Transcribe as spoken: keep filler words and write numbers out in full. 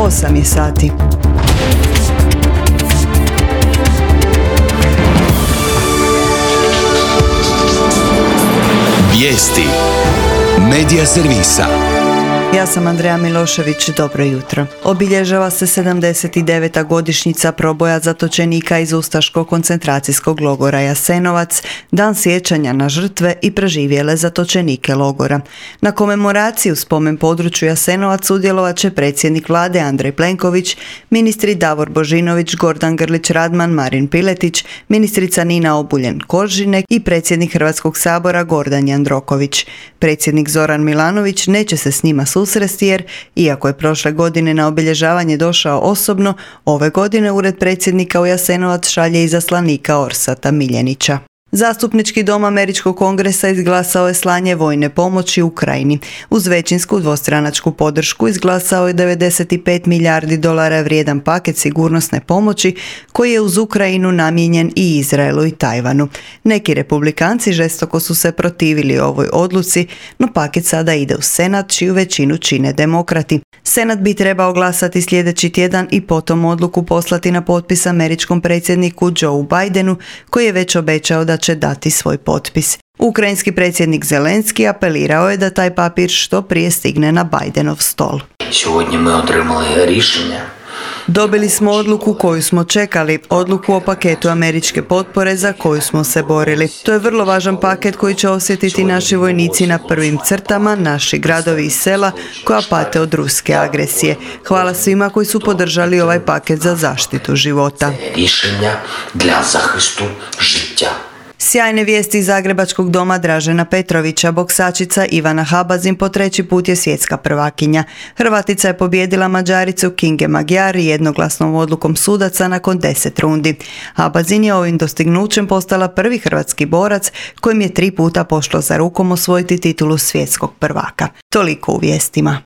osam je sati. Vijesti Medija servisa. Ja sam Andreja Milošević, dobro jutro. Obilježava se sedamdeset deveta godišnjica proboja zatočenika iz ustaškog koncentracijskog logora Jasenovac, dan sjećanja na žrtve i preživjele zatočenike logora. Na komemoraciju spomen području Jasenovac sudjelovat će predsjednik vlade Andrej Plenković, ministri Davor Božinović, Gordan Grlić Radman, Marin Piletić, ministrica Nina Obuljen Koržinek i predsjednik Hrvatskog sabora Gordan Jandroković. Predsjednik Zoran Milanović neće se s njima susresti jer, iako je prošle godine na obilježavanje došao osobno, ove godine Ured predsjednika u Jasenovac šalje izaslanika Orsata Miljenića. Zastupnički dom Američkog kongresa izglasao je slanje vojne pomoći Ukrajini. Uz većinsku dvostranačku podršku izglasao je devedeset pet milijardi dolara vrijedan paket sigurnosne pomoći koji je uz Ukrajinu namijenjen i Izraelu i Tajvanu. Neki republikanci žestoko su se protivili ovoj odluci, no paket sada ide u Senat, čiju većinu čine demokrati. Senat bi trebao glasati sljedeći tjedan i potom odluku poslati na potpis američkom predsjedniku Joe Bidenu, koji je već obećao da će dati svoj potpis. Ukrajinski predsjednik Zelenski apelirao je da taj papir što prije stigne na Bidenov stol. Сьогодні ми отримали рішення. Dobili smo odluku koju smo čekali, odluku o paketu američke potpore za koju smo se borili. To je vrlo važan paket koji će osjetiti naši vojnici na prvim crtama, naši gradovi i sela koja pate od ruske agresije. Hvala svima koji su podržali ovaj paket za zaštitu života. Рішення для захисту життя. Sjajne vijesti iz Zagrebačkog doma Dražena Petrovića. Boksačica Ivana Habazin po treći put je svjetska prvakinja. Hrvatica je pobijedila Mađaricu Kinge Magyar jednoglasnom odlukom sudaca nakon deset rundi. Habazin je ovim dostignućem postala prvi hrvatski borac kojim je tri puta pošlo za rukom osvojiti titulu svjetskog prvaka. Toliko u vijestima.